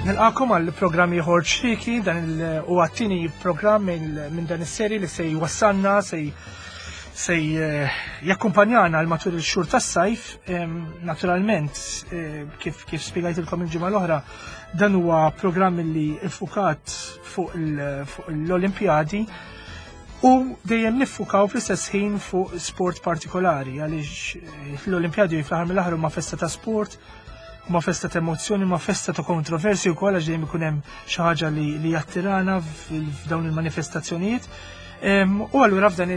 Nilqakom għal programm ieħor ċriki, dan huwa t-tieni programm minn dan is-seri li se jwassalna se se eh, jakkumpanjana għal matul il-xhur tas-sajf, naturalment eh, kif kif spjegajtilkom il-ġimgħa l-oħra, dan huwa programm li iffukat fuq l-Olimpjadi u dejjem niffukaw fl-istess ħin fuq sport partikolari għaliex eh, l-Olimpjadi fl-aħħar mill-aħħar huma festa ta' sport, ma festa ta' emozzjoni, ma festa ta' kontroversi wkoll għax dejjem ikun hemm xi ħaġa li jattirana f'dawn il-manifestazzjonijiet. U allura f'dan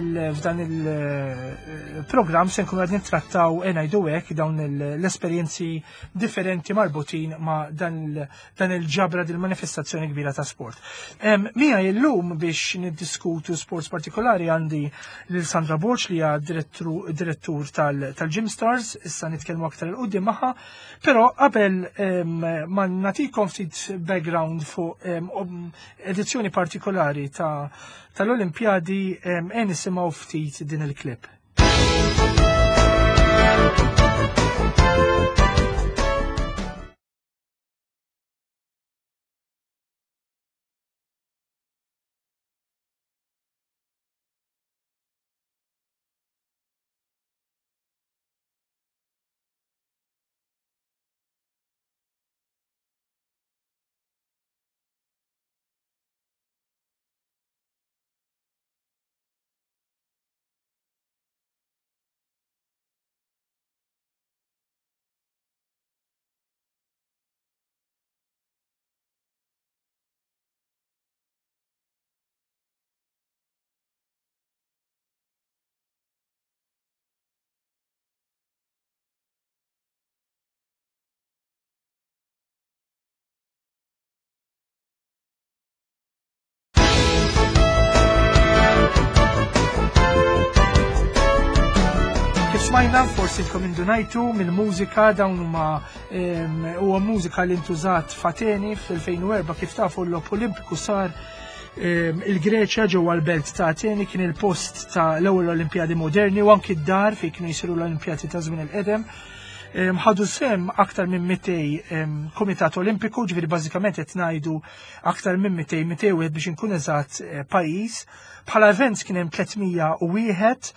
il-programm eh, se nkunu qed nittrattaw e ngħidu hekk dawn l-esperjenzi differenti marbutin ma' dan il-ġabra din manifestazzjoni kbira ta' sport. Mija illum biex niddiskutu sports partikolari għandi lil Sandra Borg li hija direttur tal-Gym Stars, issa nitkellmu aktar il qudiem magħha, però qabel ma nagħtikom ftit background fuq edizzjoni partikolari ta' tal-Olimpjadi e nisimgħu ftit din il-klip. Kif smajna, forsi tkom indunajtu mill-mużika dawn huma huwa mużika li ntużat f'Ateni fl-2004 kif tafu l-Logħob Olimpiku sar il-Greċja ġewwa l-belt ta' Ateni kien il-post ta' l-ewwel Olimpjadi moderni u anki d-dar fejn kienu jsiru l-Olimpjadi ta' żmien il-qedem. Ħadu sem aktar minn 200 Kumitat Olimpiku, ġifieri bażikament qed ngħidu aktar minn 200 201 biex inkun eżatt eh, pajjiż. Bħala events kien hemm 301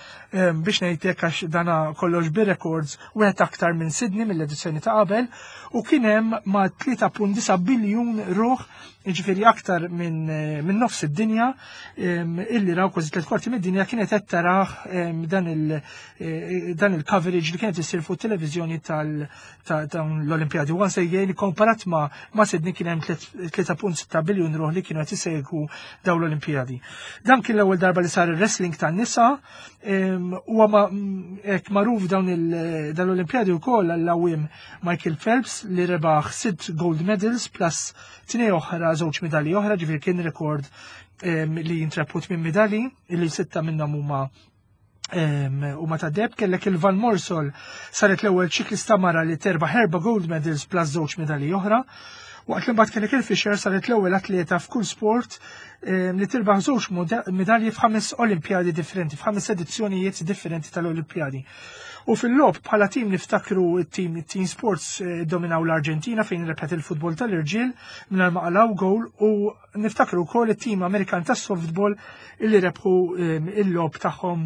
biex ngħidlek għax dana kollox bir-records wieħed aktar minn Sydney mill-edizzjoni ta' qabel u kien hemm ma' 3.9 biljun ruħ jiġifieri aktar minn eh, min nofs id-dinja illi raw kważi tliet kwarti mid-dinja kienet qed taraħ dan il eh, dan il-coverage li kienet issir fuq televiżjoni tal ta' dawn l-Olimpjadi. Once again, komparat ma' ma' Sydney kien hemm 3.6 biljun ruħ li kienu qed isegwu dawn l-Olimpjadi. Dan kien l-ewwel darba li sar ir-wrestling tan-nisa huwa hekk magħruf dawn l-Olimpjadi wkoll għall-għawiem Michael Phelps li rebaħ sitt gold medals plus tnej oħra żewġ medalji oħra, ġifieri kien rekord li jintreput minn medalji li sitta minnhom huma u ma ta' deb kellek il-Van Morsol saret l-ewwel ċiklista mara li terbaħ erba' gold medals plus żewġ medalji oħra. Waqt li mbagħad kellek il-Fisher saret l-ewwel atleta f'kull sport li tirbaħ żewġ medalji f'ħames Olimpjadi differenti, f'ħames edizzjonijiet differenti tal-Olimpjadi. U fil-lob bħala tim niftakru t-tim Team Sports eh, dominaw l-Arġentina fejn rebħet il-futbol tal-irġiel mingħajr ma qalgħu goal u Niftakru wkoll it-tim Amerikan tas-softball illi rebħu ehm, il-logħob tagħhom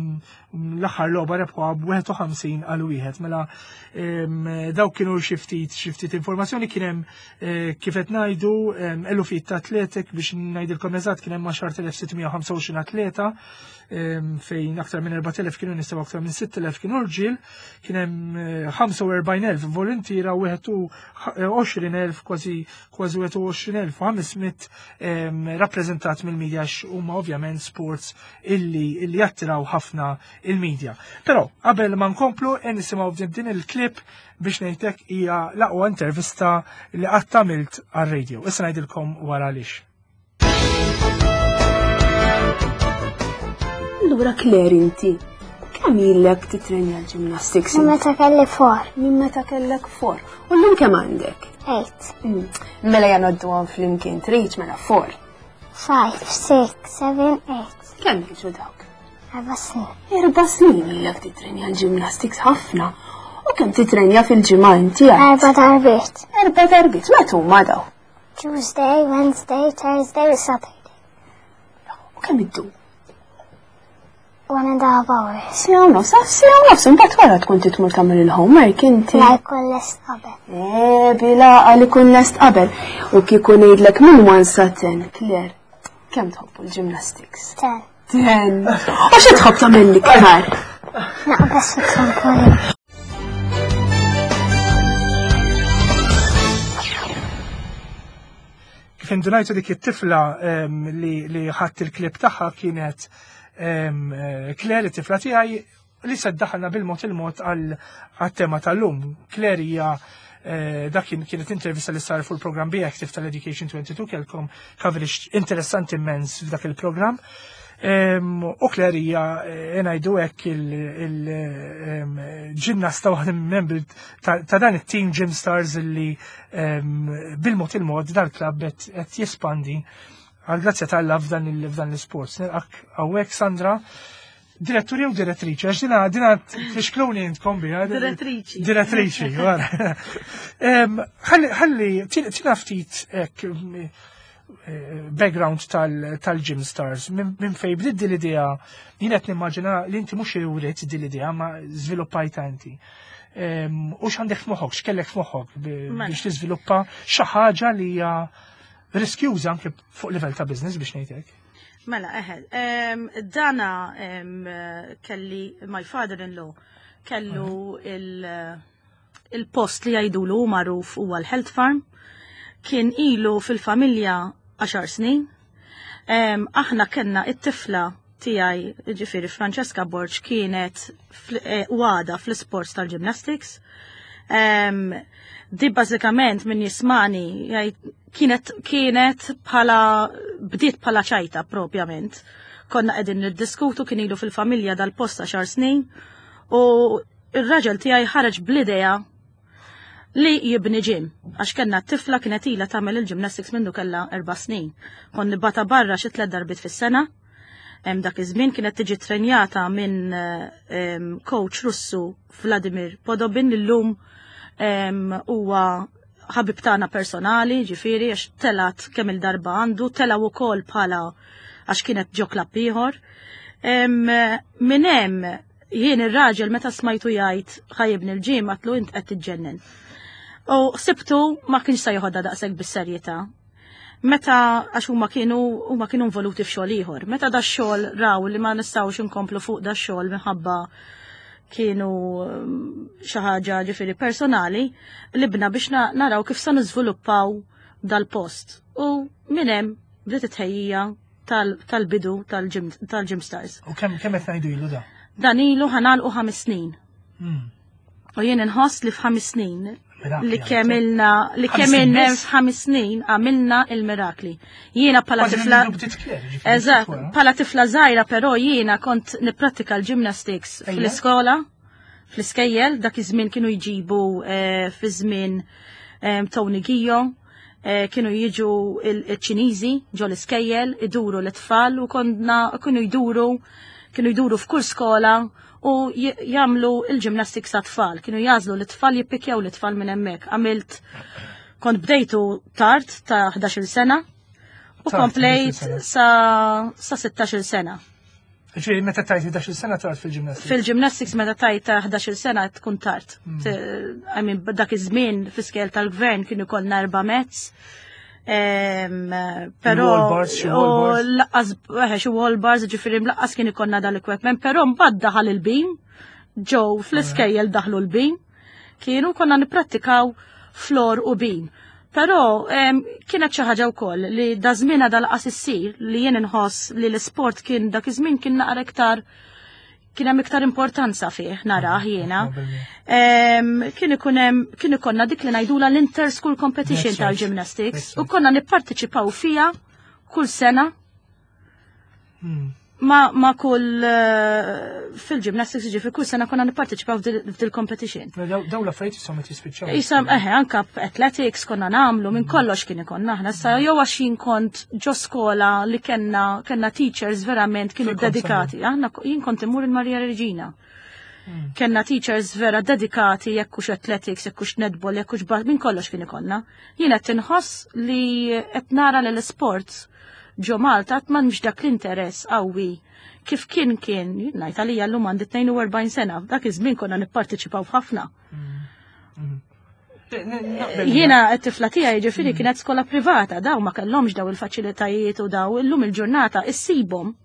l-aħħar logħba rebħuha b'51 għal wieħed. Mela ehm, dawk kienu xi ftit xi ftit informazzjoni kien hemm eh, kif qed ngħidu ehm, elufijiet ta' atletik biex ngħidilkom eżatt kien hemm 10,625 atleta fejn aktar minn 4,000 kienu nisa aktar minn 6,000 kienu rġiel, kien hemm 45,000 eh, volontiera u 21,000 kważi kważi 21,500 rappreżentat mill-medja għax huma ovvjament sports illi, illi jattiraw ħafna il-medja. Però qabel ma nkomplu e nisimgħu din il-klip biex ngħidlek hija l-aqwa intervista li qatt għamilt għar-radio. Issa ngħidilkom wara għaliex. Allura Claire inti, Kemm ilek titrenja l-gymnastics? Minn meta kelli four. Minn meta kellek four. U llum kemm għandek? Eight. Mela janoddu għan flimkien trid mela four. Five, six, seven, eight. Kemm jiġu dawk? Erba' snin. Erba' snin ilek titrenja l-gymnastics ħafna. U kemm titrenja fil-ġimgħa inti? Erba' darbiet. Erba' darbiet, meta huma daw? Tuesday, Wednesday, Thursday u Saturday. U kemm iddum? One and a half hours. Siegħa u nofs, ah, siegħa u nofs, imbagħad wara tkun titmur tagħmel il-homework inti. La jkun lest qabel. Eh, bila għal ikun lest qabel. U kieku ngħidlek minn one sa ten, Claire, kemm tħobbu l-gymnastics? Ten. Ten. U xi tħobb tagħmel l-iktar? Naqbes fit-trampolin. Kif indunajtu dik it-tifla li ħadd il-klib tagħha kienet eh, Claire, it-tifla tiegħi, li se daħalna bil-mod il-mod għal-tema tal-lum. Claire hija eh, dak kienet intervista li sar fuq il-programm Be Active tal-Education 22 kelkom coverage interessanti immens f'dak il-programm. U Claire hija eh, ngħidu hekk il-ġinnasta waħda membri ta' dan it-team Gym Stars li bil-mod il-mod dal-klabb qed jespandi għal grazzja tal-la f'dan l-isports. Nilqak hawnhekk Sandra. Direttur jew direttriċi, għax dina dina tfixkluni intkom biha. Direttriċi. Direttriċi, wara. Ħalli ħalli tina ftit hekk eh, background tal-Gym Stars, minn fej bdiet din l-idea, jien qed nimmaġina li inti mhux iwrit din l-idea ma żviluppajta inti. U x'għandek f'moħħok, x'kellek f'moħħok mela. biex tiżviluppa xi ħaġa li hija riskjuża anke fuq livell ta' business biex ngħidlek. Mela, eħe, dana kelli my father-in-law kellu il-post li jgħidulu hu magħruf huwa l-Health Farm. Kien ilu fil-familja 10 snin. Aħna kellna it-tifla tiegħi, ġifieri Francesca Borg kienet eh, u għada fl-isports tal-gymnastics. Di bażikament min jismani jgħid kienet kienet bħala bdiet bħala ċajta propjament. Konna qegħdin niddiskutu kien ilu fil-familja dal-post għaxar snin u ir-raġel tiegħi ħareġ bl-idea li jibni ġim, għax kellna t-tifla kienet ilha tagħmel il-gymnastics mindu kellha erba' snin. Kon nibata barra xi tliet darbiet fis-sena. Hemm dak iż-żmien kienet tiġi trenjata minn coach Russu Vladimir Podobin li llum huwa ħabib tagħna personali, ġifieri għax telat kemm il-darba għandu, telaw ukoll bħala għax kienet ġo klabb ieħor. Minn hemm jien ir-raġel meta smajtu jgħid ħajibni l-ġim għatlu int qed tiġġennen. U sibtu ma kienx se joħodha daqshekk bis-serjetà. Meta għax huma kienu huma kienu involuti f'xogħol ieħor. Meta da xogħol raw li ma nistgħux inkomplu fuq da xogħol minħabba kienu mm, xi ħaġa ġifieri personali li bna biex naraw kif se niżviluppaw dal-post. U minn hemm bdiet it-tħejjija tal-bidu tal-Gym Stars. U kemm kemm qed ngħidu ilu da? Dan ilu ħanalqu ħames snin. Hmm. U jien inħoss li f'ħames snin li kemm ilna li kemm ilna f'ħames snin għamilna il-mirakli. Jiena bħala tifla. Eżatt, bħala tifla żgħira però jiena kont nipprattika l-gymnastics fl-iskola, fl-iskejjel, dak iż-żmien kienu jġibu eh, fi żmien eh, Tony Gio, eh, kienu jiġu il-Ċiniżi ġo l-iskejjel, iduru l-tfal u konna kienu jduru kienu jduru f'kull skola u jagħmlu il-gymnastics għat-tfal. Kienu jażlu l-tfal jippikjaw l-tfal minn hemmhekk. Għamilt kont bdejtu tard ta' 11-il sena u komplejt sa 16-il sena. Ġifieri meta tajt 11-il sena tard fil-gymnastics? Fil-gymnastics meta tajt ta' 11-il sena tkun tard. Hmm. I mean, dak iż-żmien fl-iskel tal-gvern kienu kollna erba' mezz. Pero laqqas eh, xi wall bars, ġifieri mlaqqas kien ikollna dal-equipment, però mbagħad daħal il-bim, ġew fl-iskejjel daħlu l-bim, kienu konna nipprattikaw flor u bim. Però kienet xi ħaġa wkoll li da żmien dal-qas issir li jien inħoss li l-isport kien dak iż-żmien kien naqra iktar kien hemm iktar importanza fih narah jiena. Kien ikun hemm kien ikonna dik li ngħidula l-inter-school competition tal-gymnastics u konna nipparteċipaw fiha kull sena. Hmm. Ma kull fil-gymnastics, ġifieri kull sena konna nipparteċipaw f'dil competition. Mela daw l-affarijiet jisom qed jispiċċaw. Isom eħe anka athletics konna nagħmlu minn kollox kien ikonna aħna sa jew għax jien kont ġo skola li kellna teachers verament kienu dedikati. Aħna jien kont immur il-Maria Regina. Kenna teachers vera dedikati, jekk hux athletics, jekk hux netball, jekk hux minn kollox kien ikonna. Jien qed inħoss li qed nara li l-sports ġo Malta qatt m'għandx dak l-interess qawwi kif kien, ngħid għalija llum għandi 42 sena, dak iż-żmien konna nipparteċipaw f'ħafna. Jiena t-tifla tiegħi ġifieri kienet skola privata, daw ma kellhomx daw il-faċilitajiet u daw illum il-ġurnata issibhom.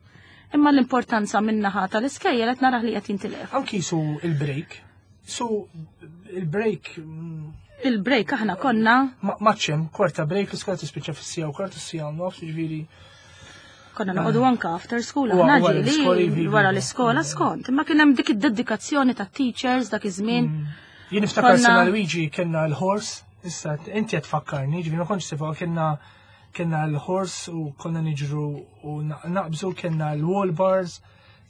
Imma l-importanza min-naħa tal-iskejjel qed narah li qed jintilef. Anki su il-break, su il-break. Il-break aħna konna. Maċċem, kwarta break, l-iskola tispiċċa fis-sija u kwarta s-sija u nofs, ġifieri. Konna noqogħdu anka after school, aħna ġieli wara l-iskola skont. Imma kien hemm dik id-dedikazzjoni ta' teachers dak iż-żmien. Jien niftakar sena Luigi kellna l-horse, issa inti qed tfakkarni, ġifieri ma kontx tifha kellna l-horse u konna niġru u naqbżu, kellna l-wall bars,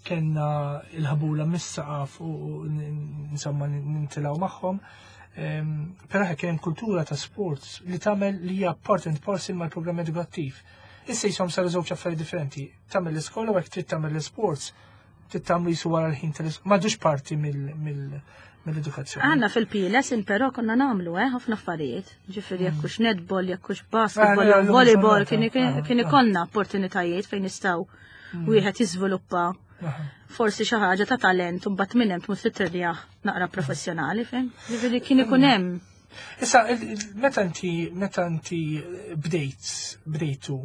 kellna l-ħabula mis-saqaf u insomma nintilgħu magħhom. Però kien hemm kultura ta' sports li tagħmel li hija part and parcel mal-programm edukattiv. Issa jisom saru żewġ affarijiet differenti. Tagħmel l-iskola u hekk trid tagħmel l-sports, trid tagħmlu jisu wara l-ħin tal-iskola. M'għadux parti mill-edukazzjoni. Aħna fil-PLS però konna nagħmlu ħafna affarijiet. Ġifieri jekk hux netball, jekk hux basketball, jew volleyball, kien ikollna opportunitajiet fejn nistgħu wieħed jiżviluppa forsi xi ħaġa ta' talent u mbagħad minn hemm tmur titrenjah naqra professjonali, fem? Ġifieri kien ikun hemm. Issa, meta inti bdejtu,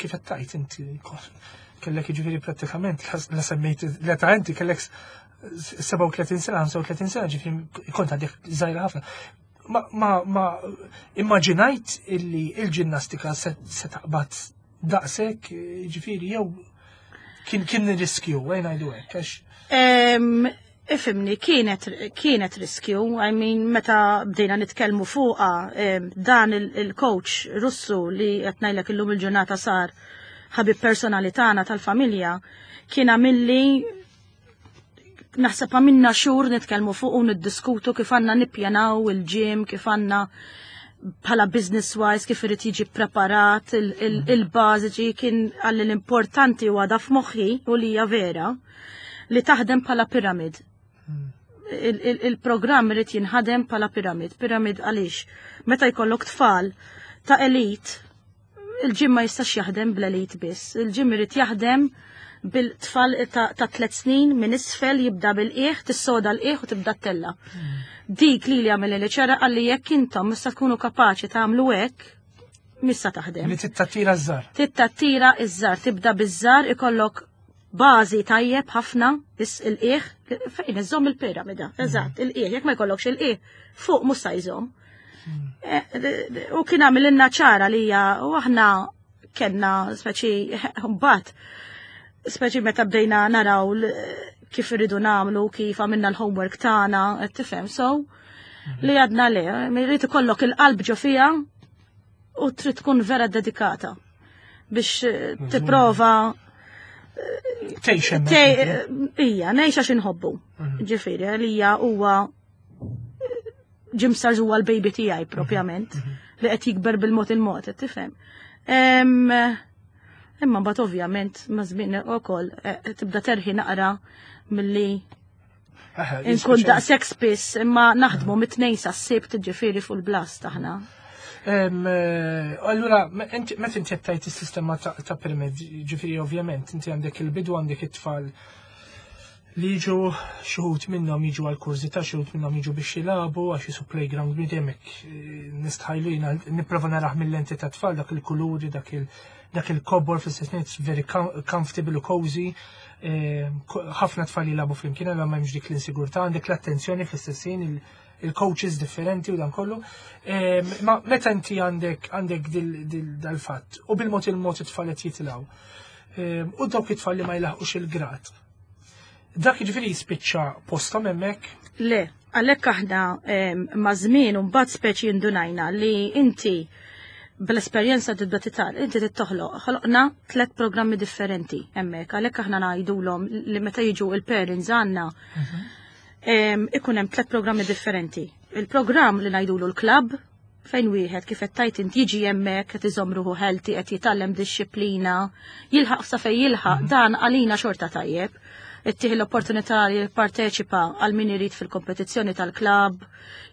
kif qed tgħid inti kellek ġifieri prattikament la semmejt l-età inti kellek 37 sena, 35 sena, ġifieri kont għadek żgħira ħafna. Ma immaġinajt illi il-ġinnastika se taqbad daqshekk, ġifieri jew kien riskju, għajn ngħidu hekk, għax Ifimni, kienet riskju, I mean, meta bdejna nitkellmu fuqa, dan il-coach Russu li qed ngħidlek illum il-ġurnata sar ħabib personali tagħna tal-familja, kien għamilli naħseb għamilna xhur nitkellmu fuq u niddiskutu kif għandna nippjanaw il-gym, kif għandna bħala business wise, kif irid jiġi preparat il-bażiċi, kien għalli l-importanti u għadha f'moħħi u li hija vera li taħdem bħala piramid. Il-programm irid jinħadem bħala piramid. Piramid għaliex? Meta jkollok tfal ta' elite, il-gym ma jistax jaħdem bl-elite biss. Il-gym irid jaħdem bil-tfal ta' 3 snin minn isfel, jibda bil-qiegħ, tissoda l-qiegħ u tibda t-tella. Dik li li għamel li ċara għalli jekk intom mista tkunu kapaċi tagħmlu hekk, mista taħdem. Li tittattira ż-żar. Tittattira ż-żar, tibda biż-żar, ikollok bażi tajjeb ħafna, is il-qiegħ, fejn iżomm il-piramida, eżatt, il-qiegħ, jekk ma jkollokx il-qiegħ, fuq mhux se jżomm. U kien għamililna ċara li hija, u aħna kellna speċi mbagħad, speċi meta bdejna naraw kif irridu nagħmlu, kif għamilna l-homework tagħna, qed tifhem, so li għadna le, irid ikollok il-qalb ġo fiha u trid tkun vera dedikata biex tipprova Tgħix hemmhekk. Ija, ngħix għax inħobbu. Ġifieri, għalija huwa Gym Stars huwa l-baby tiegħi propjament, li qed jikber bil-mod il-mod, qed tifhem. Imma mbagħad ovvjament ma' żmien ukoll tibda terħi naqra milli inkun daqshekk spiss, imma naħdmu mit-tnejn sas-sibt, ġifieri fuq il-blast aħna. Allura, meta inti qed tgħid is-sistema ta' pyramid, ġifieri ovvjament inti għandek il-bidu, għandek it-tfal li jiġu, xi wħud minnhom jiġu għal kurżità, xi wħud minnhom jiġu biex jilagħbu għax jisu playground bniedem hekk, nistħajlu jiena nipprova narah mill-lenti ta' tfal, dak il-kuluri, dak il-kobor fl-istess ħin, it's very comfortable u cozy. Ħafna tfal jilagħbu flimkien, allura m'hemmx dik l-insigurtà, għandek l-attenzjoni fl-istess ħin, il-coaches differenti u dan kollu. Ma meta inti għandek dal-fatt u bil-mod il-mod it-tfal qed jitilgħu, u dawk it-tfal li ma jlaħqux il-grad, dak jiġifieri jispiċċa posthom hemmhekk? Le, għalhekk aħna ma' żmien u mbagħad speċi indunajna li inti Bl-esperjenza tibda titgħal, inti trid toħloq. Ħloqna tlet programmi differenti hemmhekk, għalhekk aħna ngħidulhom li meta jiġu il-parents għandna ikun hemm tlet programmi differenti. Il-programm li ngħidulu l-klabb fejn wieħed kif qed tajt int jiġi hemmhekk qed iżomm ruħu healthy, qed jitgħallem dixxiplina, jilħaq sa fejn jilħaq, dan għalina xorta tajjeb. Ittieħ l-opportunità li jipparteċipa għal min irid fil-kompetizzjoni tal-klabb,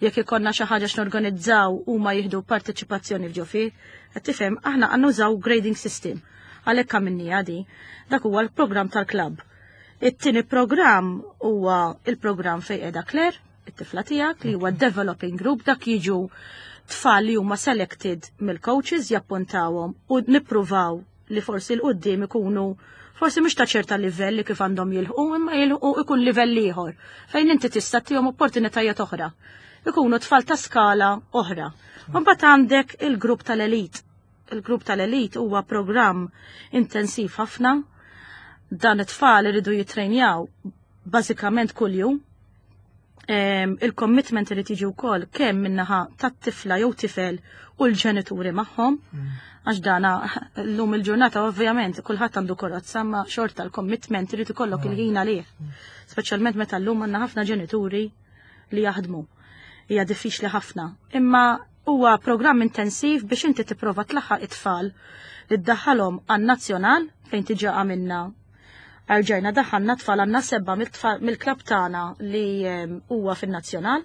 jekk ikollna xi ħaġa x'norganizzaw huma jieħdu parteċipazzjoni f'ġo fih. Qed tifhem, aħna għandna nużaw grading system. Għalhekk għamilniha di. Dak huwa l-programm tal-klabb. It-tieni programm huwa il-programm fejn qiegħda Claire, it-tifla tiegħek li huwa developing group, dak jiġu tfal li huma selected mill-coaches jappuntawhom u nippruvaw li forsi l-qudiem ikunu forsi mhux ta' ċerta livell li kif għandhom jilħqu, imma jilħqu ikun livell ieħor fejn inti tista' tihom opportunitajiet oħra. Ikunu tfal ta' skala oħra. Mbagħad għandek il-grupp tal-elit. Il-grupp tal-elit huwa programm intensiv ħafna. Dan it-tfal iridu jitrejnjaw bażikament kuljum. Il-commitment irid jiġi wkoll kemm min-naħa tat-tifla jew tifel u l-ġenituri magħhom. Għax dana llum il-ġurnata ovvjament kulħadd għandu karozza, ma xorta l-commitment irid ikollok il-ħin għalih. Speċjalment meta llum għandna ħafna ġenituri li jaħdmu. Hija diffiċli ħafna. Imma huwa programm intensiv biex inti tipprova tlaħħaq it-tfal li ddaħħalhom għan-nazzjonal fejn tiġa għamilna. Erġajna daħħalna tfal għandna 7 mill-klabb tagħna li huwa fin-nazzjonal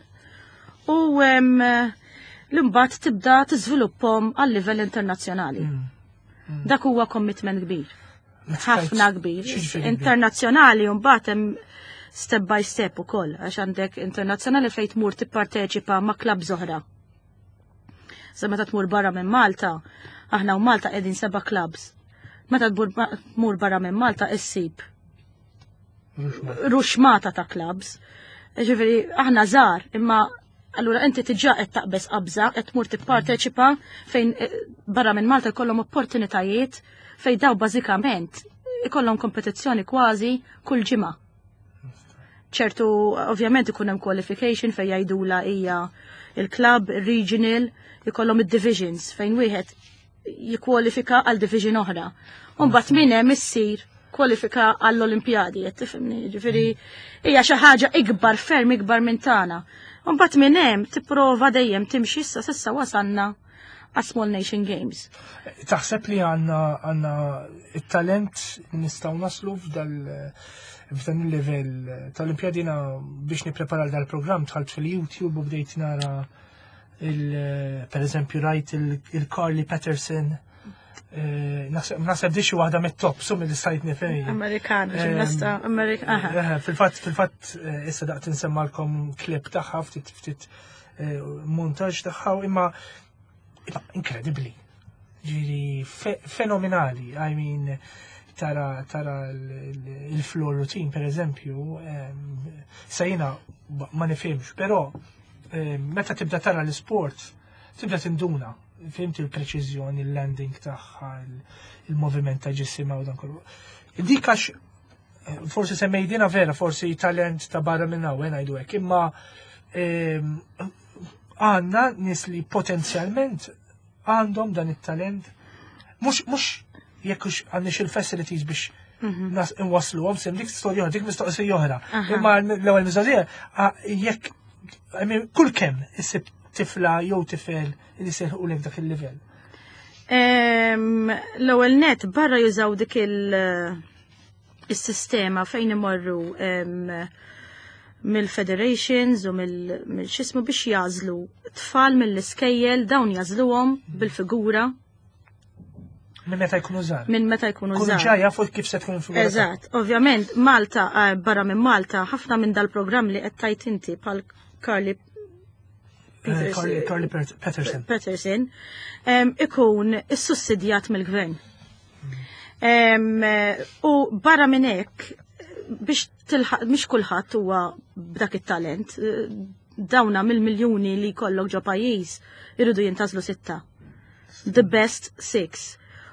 u l-imbagħad tibda tiżviluppahom għal livell internazzjonali. Dak huwa commitment kbir. Ħafna kbir. X'jiġifieri kbir? Internazzjonali u mbagħad hemm step by step ukoll, għax għandek internazzjonali fejn tmur tipparteċipa ma' klabb oħra. Sa meta tmur barra minn Malta, aħna u Malta qegħdin 7 clubs. Meta tmur barra minn Malta issib ruxmata ta' clubs. Ġifieri aħna żgħar, imma allura inti tiġà qed taqbeż qabża, qed tmur tipparteċipa fejn barra minn Malta jkollhom opportunitajiet fejn daw bażikament ikollhom kompetizzjoni kważi kull ġimgħa. Ċertu, ovvjament ikun hemm qualification fejn jgħidula hija il-club, il-regional, ikollhom id-divisions fejn wieħed jikkwalifika għal division oħra. U mbagħad minn hemm issir kwalifika għall-Olimpjadi, qed tifhimni, ġifieri hija xi ħaġa ikbar, ferm ikbar minn tagħna. U mbagħad minn hemm tipprova dejjem timxi issa s'issa wasalna għas Small Nation Games. Taħseb li għandna it-talent li nistgħu naslu f'dan il-livell tal-Olimpjadi? Biex nipprepara dal-programm dħalt fil-YouTube u bdejt nara per eżempju rajt il-Carly Patterson. Naħseb di xi waħda mit-top, su mill stajt nifhem. Amerikana, ġimnasta Amerikana. Fil-fatt issa daqt insemmalkom klip tagħha ftit ftit montaġġ tagħha, imma inkredibbli. Ġiri fenomenali, I mean, tara il-floor routine, per eżempju, sejna ma nifhimx, però meta tibda tara l-sport, tibda tinduna, fimt il-preċiżjoni, il-landing tagħha, il-moviment ta' ġisimha u dan kollu. Dik għax forsi semmejdina vera, forsi talent ta' barra minn hawn ngħidu hekk, imma għandna nies li potenzjalment għandhom dan it-talent. Mhux jekk hux għandniex il-facilities biex nas inwasluhom sem dik storja oħra, dik mistoqsija oħra. Imma l-ewwel mistoqsija jekk I mean, kull kemm issib tifla jew tifel li seħu lek dak il-livell. L-ewwel net barra jużaw dik il-sistema fejn imorru mill-federations u mill-xismu biex jażlu tfal mill-iskejjel, dawn jażluhom bil-figura. Minn meta jkunu żgħar. Minn meta jkunu Kunu żgħar. ġa jafu kif se tkun il-figura tagħhom. Eżatt, ovvjament Malta, barra minn Malta, ħafna minn dal-programm li qed tajt inti bħal Carly Peters, Carly Patterson. Patterson, ikun issussidjat mill-gvern. U barra minn hekk biex tilħaq mhix kulħadd huwa b'dak it-talent. Dawna mill-miljuni li jkollok ġo pajjiż iridu jintgħażlu 6. The best 6.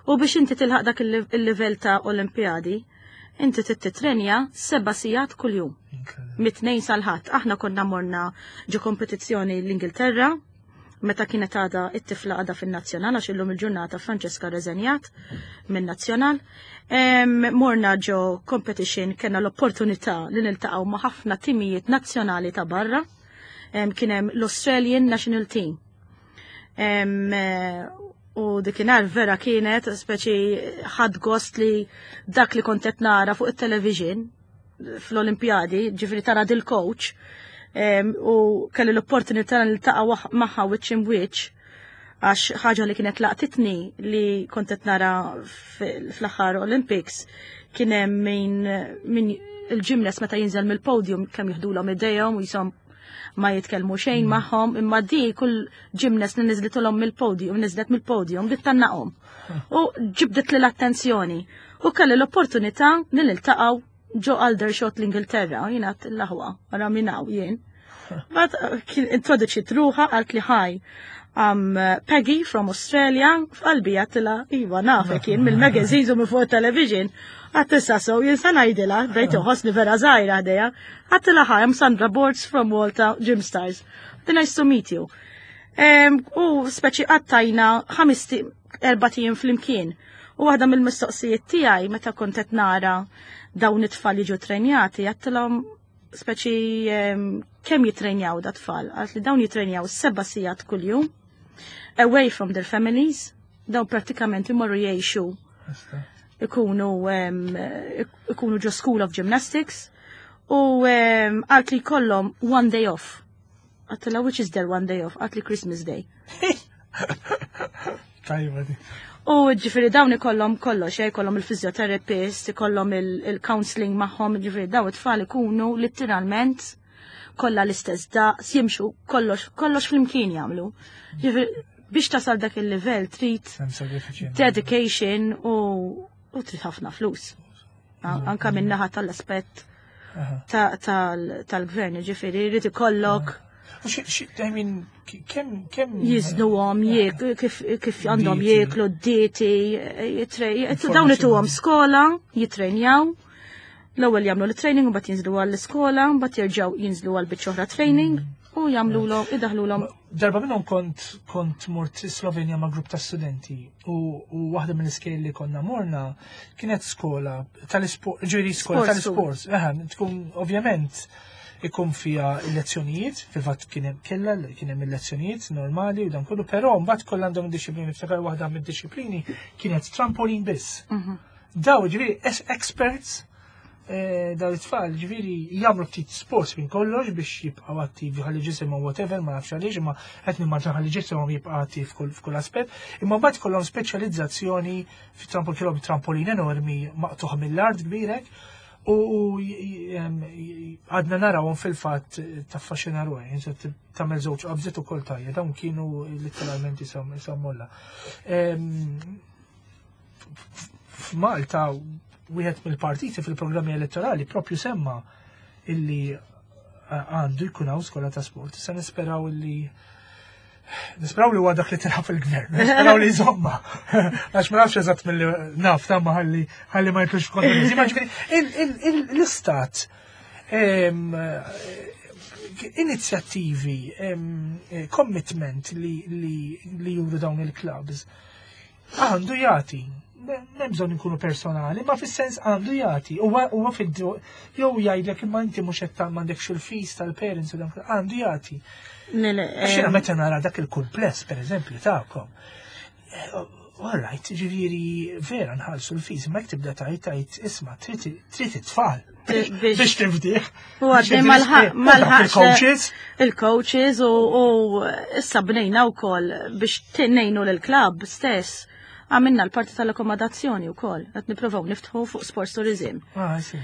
U biex inti tilħaq dak il-livell ta' Olimpjadi, inti trid titrenja 7 sigħat kuljum. Incredible. Mit-tnejn sal-Ħadd. Aħna konna morna ġo kompetizzjoni l-Ingilterra. Meta kienet għada it-tifla għada fin-nazzjonal għax illum il-ġurnata Francesca reżenjat min-nazzjonal. Morna ġo competition kena l-opportunità li niltaqgħu ma' ħafna timijiet nazzjonali ta' barra. Kien hemm l-Australian National Team. U dikinhar vera kienet speċi ħadd gost li dak li kont qed nara fuq it-television fl-Olimpjadi, ġifieri tara dil-coach, u kelli l-opportunità li niltaqa' magħha wiċċ imwiċċ għax ħaġa li kienet laqtitni li kont qed nara fl-aħħar Olympics kien hemm min il-gymnast meta jinżel mill-podium kemm jiħdulhom idejhom u jisom ma jitkellmu xejn magħhom, imma di kull gymnast li niżlitulhom mill-podium, niżlet mill-podium, bdiet tannaqhom. U ġibdet li l-attenzjoni. U kelli l-opportunità li niltaqgħu ġo Aldershot l-Ingilterra, jien għat l-aħwa, għara minnaw jien. But kien introduċiet ruħha għalt li hi. I'm Peggy from Australia, f'qalbi għattilha, iva nafek jien mill-magazines u minn fuq television. Għattissa so, jien sa ngħidilha, bdejt inħossni vera żgħira ħdejha. Għattilha hi, I'm Sandra Borts from Malta Gym Stars. Nice to meet you. U speċi qattajna 4 ijiem flimkien. U waħda mill-mistoqsijiet tiegħi meta kont qed nara dawn it-tfal jiġu trenjati, għattilhom speċi kemm jitrenjaw da tfal, għalt li dawn jitrenjaw 7 sigħat kuljum, away from their families, dawn pratikament imorru jgħixu ikunu ġo School of Gymnastics u għalt li kollhom one day off. Għedtilha, which is their one day off? Għalt li Christmas Day. Tajba di. U ġifiri dawn ikollhom kollox, ikollhom il-physiotherapist, ikollhom il-counseling magħhom, ġifiri dawn it-tfal ikunu letteralment kollha l-istess daqs, jimxu kollox, kollox flimkien jagħmlu. Ġifiri biex tasal dak il-livell trid Hemm sagrifiċi. dedication u trid ħafna flus. Anka min-naħa tal-aspett tal-gvern, ġifiri, jrid ikollok U I mean, kemm jiznuhom, kif għandhom Dieti. jieklu, dieti, dawn ituhom skola, jitrenjaw. L-ewwel jagħmlu l-training u mbagħad jinżlu għall-iskola, mbagħad jerġgħu jinżlu għal biċċa oħra training u jagħmluhom idaħlulhom. Darba minnhom kont mort Slovenja ma' grupp ta' studenti u waħda mill-iskejjel li konna morna kienet skola tal-isport, ġifieri skola Sports. Tal-isport. Eħe, tkun ovvjament ikun fija il-lezzjonijiet, fil-fatt kien hemm kella kien hemm il-lezzjonijiet normali u dan kollu, però mbagħad kollha għandhom disciplini, niftakar waħda mid-disciplini kienet trampolin biss. Daw ġifieri experts daw it-tfal ġifieri jagħmlu ftit sports minn kollox biex jibqgħu attivi ħalli ġisimhom whatever, ma nafx għaliex, imma qed nimmaġina ħalli ġisimhom jibqa' attiv f'kull aspett. Imma mbagħad kollhom speċjalizzazzjoni fi trampolin, kellhom trampolin enormi maqtuħ mill-art kbirek u għadna narawhom fil-fatt taffaxxina ruħi, insa tagħmel żewġ qabżiet ukoll tajja, dawn kienu letteralment isom molla. F'Malta wieħed mill-partiti fil-programmi elettorali propju semma illi għandu jkun hawn skola ta' sport. Issa nisperaw li huwa dak li tilħaq fil-gvern, nisperaw li jżomma. Għax ma nafx eżatt mill naf ta' ma ħalli ma jitlux f'kontroversi. Ma ġifieri l-istat inizjattivi, commitment li juru dawn il-clubs għandu jagħti. M'hemm bżonn inkunu personali, ma fis-sens għandu jagħti. Huwa fid jew jgħidlek imma inti mhux qed m'għandekx il-fees tal-parents u dan għandu jagħti. Le, le, Għax jiena meta nara dak il-kumpless, per eżempju, tagħkom. All right, ġifieri vera nħallsu l-fees, ma jekk tibda tajt isma' trid it-tfal biex tifdih. U għadni malħaq Il-coaches. Il-coaches u issa bnejna wkoll biex ngħinu l-club stess. Għamilna l-parti tal-akkomodazzjoni wkoll, qed nippruvaw niftħu fuq sports tourism. Ah, sì.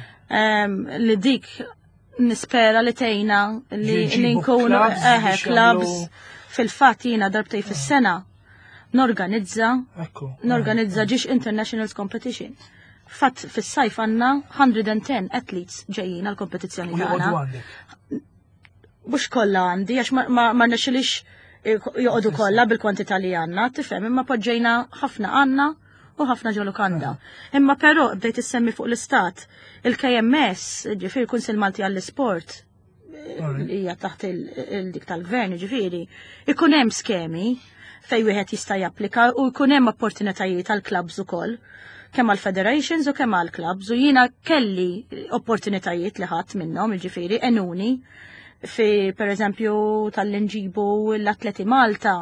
Li dik nispera li tejna li Jġibu li nkunu clubs eħe biex clubs jagħmlu- fil-fatt jiena darbtej fis-sena norganizza norganizza ġiex internationals competition. Fatt fis-sajf għandna 110 athletes ġejjin għal kompetizzjoni U joqogħdu tagħna. għandek. Mhux kollha għandi għax ma rnexxilix joqogħdu kollha bil-kwantità li għandna, tifhem, imma poġġejna ħafna għandna u ħafna ġo lukanda. Imma però bdejt issemmi fuq l-istat, il-KMS, ġifieri Kunsill Malti għall-Isport, li hija taħt il-dik tal-gvern, ġifieri, ikun hemm skemi fej wieħed jista' japplika u jkun hemm opportunitajiet għal clubs ukoll kemm għal federations u kemm għal clubs u jiena kelli opportunitajiet li ħadd minnhom, jiġifieri enuni fi per eżempju tal-inġibu l-atleti Malta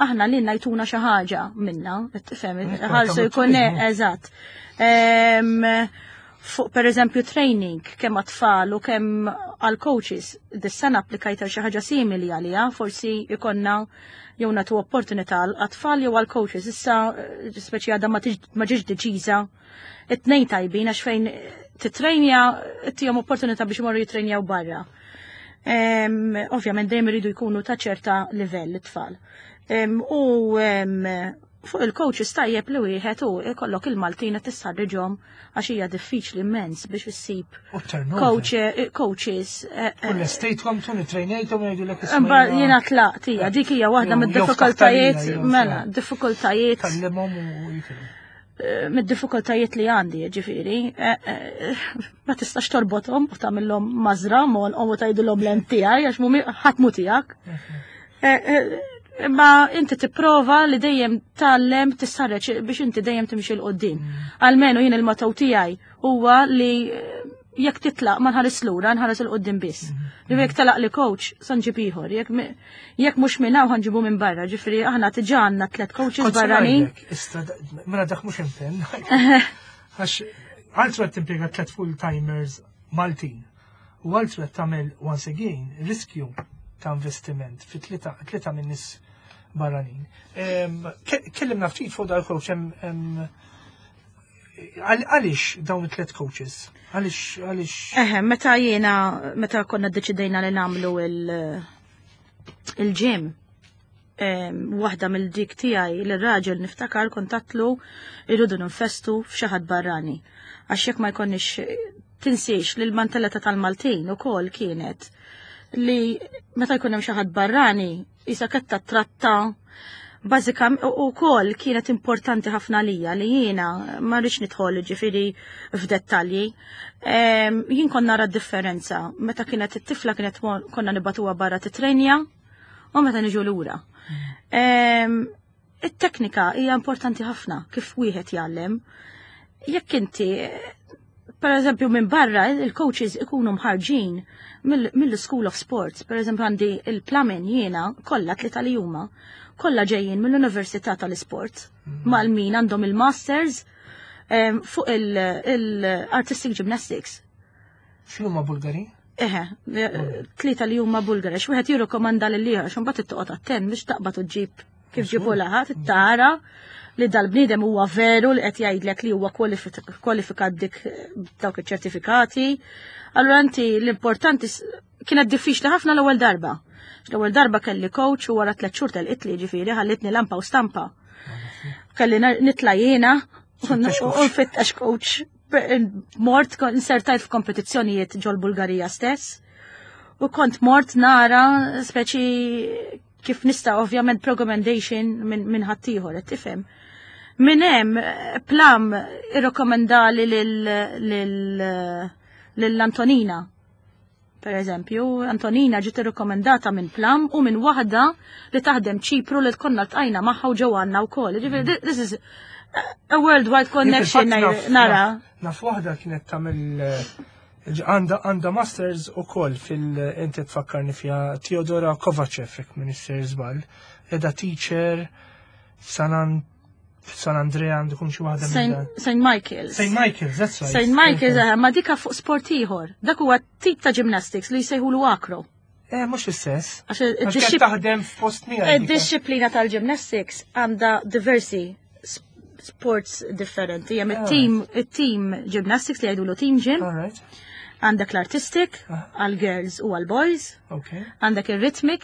aħna li najtuna xi ħaġa minna, tifhem, ħarsu jkun eżatt. Fuq per eżempju training kemm għat-tfal u kemm għal coaches, dis-sena applikajt għal xi ħaġa simili għaliha, forsi ikonna jew nagħtu opportunità għat-tfal jew għal coaches. Issa speċi għadha ma ġietx deċiża. It-tnejn tajbin għax fejn titrejnja tihom opportunità biex imorru jitrejnjaw barra. Ovvjament dejjem iridu jkunu ta' ċerta livell it-tfal. U fuq il-coaches tajjeb li wieħed u ikollok il-Maltin qed tistħarriġhom għax hija diffiċli immens biex issib coach, coaches. U l-estejtkom tun trejnejtom jgħidulek Imbagħad jiena tlaqt hija dik hija waħda mid-diffikultajiet mela, diffikultajiet. Kallimhom u jitilgħu. Mid-diffikultajiet li għandi, ġifieri, ma tistax torbothom u tagħmilhom mażra u tgħidilhom l tiegħi għax mhumi ħadd mu tiegħek. Imma inti tipprova li dejjem tgħallem tissarreġ biex inti dejjem timxi 'l quddiem. Almenu jien il-motto tiegħi huwa li jekk titlaq ma nħares lura, nħares 'il quddiem biss. Li jekk telaq li coach, sa nġib ieħor, jekk mhux minn hawn ħa nġibu minn barra, ġifieri aħna diġà għandna tliet coaches barranin. Mela dak mhux impenn. Għax għaltru qed timpjega tliet full-timers Maltin. U għaltru qed tagħmel once again riskju ta' investiment fi tlieta minn nies barranin. Kellimna ftit fuq dal-coach hemm għaliex dawn it-tliet coaches? Għaliex għaliex? Eħe, meta jiena meta konna ddeċidejna li nagħmlu il-gym, waħda mill-dik tiegħi l-raġel niftakar kontatlu irridu ninvestu f'xi ħadd barrani. Għax jekk ma jkollniex tinsiex li l-mentalità tal-Maltin ukoll kienet li meta jkun hemm xi ħadd barrani isa qed tratta bażika u kol kienet importanti ħafna lija li jiena ma rridx nidħol ġifieri f'dettalji. Jien konna nara differenza meta kienet it-tifla kienet konna nibagħtuha barra titrenja u meta niġu lura. It-teknika hija importanti ħafna kif wieħed jgħallem. Jekk inti per eżempju minn barra il-coaches ikunu mħarġin mill-School of Sports, per eżempju għandi il-Plamen jiena kollha tlieta li huma, kollha ġejjin mill-Università tal-Isport, mal-min għandhom il-masters fuq il-Artistic Gymnastics. X'huma Bulgari? Eħe, tlieta li huma Bulgari, x'wieħed jirrikomanda lil ieħor x'imbagħad toqgħod attent biex taqbad u ġġib kif ġibu laħat, tara li dal-bniedem huwa veru li qed jgħidlek li huwa kwalifikat dik dawk iċ-ċertifikati. Allura inti l-importanti kienet diffiċli ħafna l-ewwel darba. L-ewwel darba kelli coach u wara 3 xhur telqitli ġifieri ħallitni lampa u stampa. Kelli nitla' jiena u nfittex coach. Mort insertajt f'kompetizzjonijiet ġol Bulgarija stess. U kont mort nara speċi kif nista' ovvjament recommendation minn ħaddieħor qed tifhem. Minn hemm Plam irrekomendali lil Antonina. Per eżempju, Antonina ġiet irrekomendata minn Plam u minn waħda li taħdem Ċipru li konna ltqajna magħha u ġew għandna wkoll. Ġifieri this is a worldwide connection nara. Naf waħda kienet tagħmel għandha masters u koll fil-inti tfakkarni fija Teodora Kovacev, jekk Minister żball, edha teacher San Andrea għandu kun xi waħda St. Michael's. St. Michael's, that's right. St. Michael's, ma dika fuq sport ieħor. Dak huwa tip ta' gymnastics li jsejħulu acro. Eh, mhux l-istess. Għax taħdem f'post miegħi. Id-disciplina tal-gymnastics għandha diversi sports differenti. Hemm it-team it-team gymnastics li jgħidulu team gym. Għandek l-artistic għal girls u għal boys. Għandek il-rhythmic.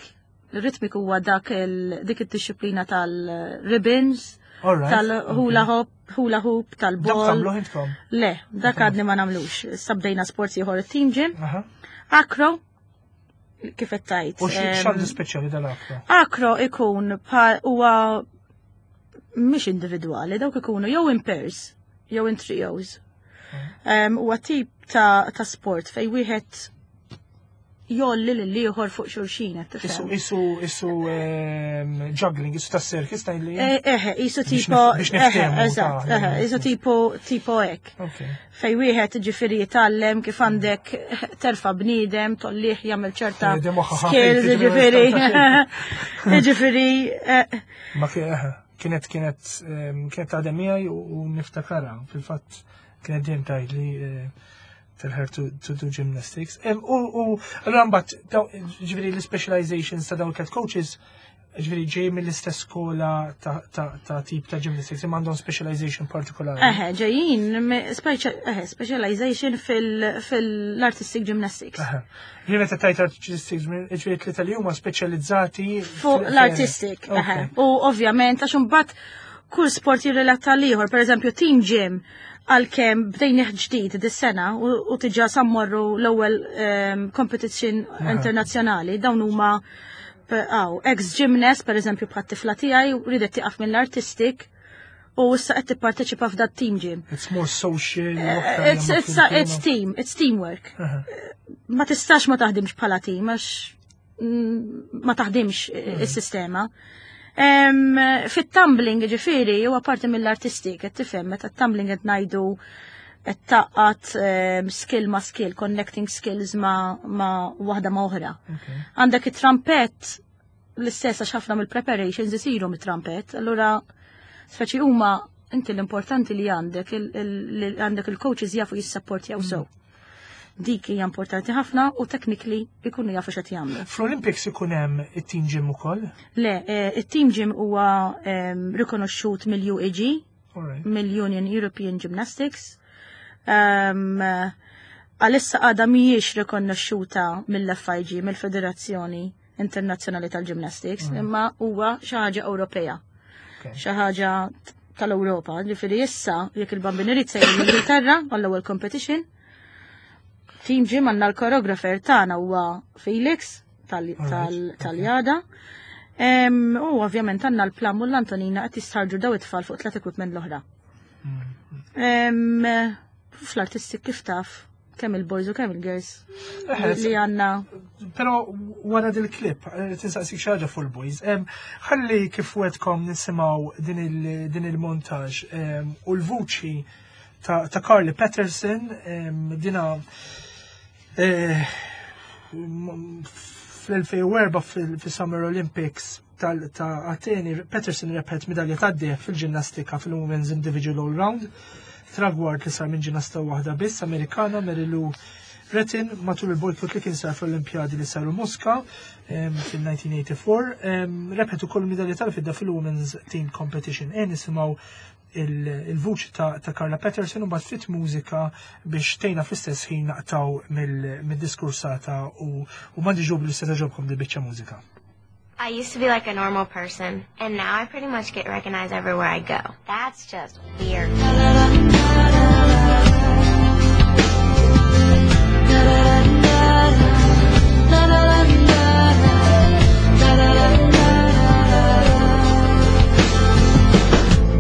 Il-rhythmic huwa dak dik id-disciplina tal-ribbons, tal-hula hop, hula hoop, tal-ball. Le, dak għadni ma nagħmlux. Sabdejna sports ieħor it-team gym. Acro, kif qed tgħid. U x'għandu speċjali dal-acro? Acro ikun huwa mhix individwali, dawk ikunu jew in pairs, jew in trios. Huwa tip ta' sport fej wieħed jolli lil ieħor fuq xulxin qed Isu, tifhem. isu, isu ehm, juggling, isu ta' circus ta' li. Eh, Eħe, isu Biex tipo, biex eħe, niftehmu, eżatt, ta' eħe, isu tipo, tipo hekk. Ok. Fej wieħed ġifieri jitgħallem kif għandek terfa bniedem, tollih jagħmel ċerta Eh, di moħħa ħafif, skills, jiġifieri ġifieri. Ġifieri, eh, Ma eħe, kienet kienet ehm, kienet taħdem miegħi u niftakara fil-fatt kienet dejjem tgħid li eh, tell her to do gymnastics. U allura mbagħad ġifieri l-specializations ta' dawn il coaches ġifieri ġej mill-istess skola ta' tip ta' gymnastics imma għandhom specialization partikolari. Eħe, ġejjin, eħe, specialization fil-artistic gymnastics. Eħe. Ġifieri meta tajt artistic ġifieri tlieta li huma speċjalizzati Fuq l-artistic, eħe. U ovvjament, għax imbagħad kull sport jirrelata l-ieħor, per eżempju, team gym, għalkemm bdejnih ġdid dis-sena u tiġa sammorru l-ewwel competition internazzjonali, dawn huma għaw, ex-gymnast, per eżempju, bħat tifla tiegħi, ridet tieqaf mill-artistic u issa qed tipparteċipa f'dat team gym. It's more social. It's team, it's teamwork. Ma tistax ma taħdimx bħala team, għax ma taħdimx is-sistema. Fit-tumbling, ġifieri, huwa parti mill-artistik, qed tifhem, meta tumbling qed ngħidu qed taqqat skill ma' skill, connecting skills ma waħda ma' oħra. Għandek it-trumpet l-istess għax ħafna mill-preparations isiru mit-trumpet, allura speċi huma inti l-importanti li għandek li għandek il-coaches jafu jissapportjaw sew. Dik hija importanti ħafna u technically ikunu jafu x'qed jagħmlu. Fl-Olympics ikun hemm it-team gym ukoll? Le, it-team gym huwa rikonoxxut mill-UEG, mill-Union European Gymnastics. Għalissa għadha mhijiex rikonoxxuta mill-FIG, mill-Federazzjoni Internazzjonali tal-Gymnastics, imma huwa xi ħaġa Ewropea. Xi ħaġa tal-Ewropa. Ġifieri issa jekk il-Bambin irid sejjer l-Ingilterra għall-ewwel competition. Team gym għandna l-choreographer tagħna huwa Felix tal-Jada. U ovvjament għandna l-Plam u l-Antonina qed jistħarġu daw it-tfal fuq tlet equipment l-oħra. Fl-artistik kif taf, kemm il-boys u kemm il-girls li għandna. Però wara dil-klip, tinsaqsik xi ħaġa fuq il-boys. Ħalli kif wetkom nisimgħu din il-montaġ u l-vuċi ta' Carly Patterson, dina fl-2004 fil-Summer Olympics ta' Ateni, Patterson rebħet medalja ta' deheb fil-ġinnastika fil-Women's Individual All Round, tragward li sar minn ġinnasta waħda biss Amerikana Mary Lou Retton matul il-bojkot li kien sar fl-Olimpjadi li saru Mosca fil-1984. Rebħet ukoll medalja tal-fidda fil-Women's Team Competition. E nisimgħu il-vuċi ta' Carla Patterson u mbagħad fit mużika biex tejna fl-istess ħin naqtaw mid-diskursata u m'għandi ġob li se togħġobkom di biċċa mużika. I used to be like a normal person, and now I pretty much get recognized everywhere I go. That's just weird.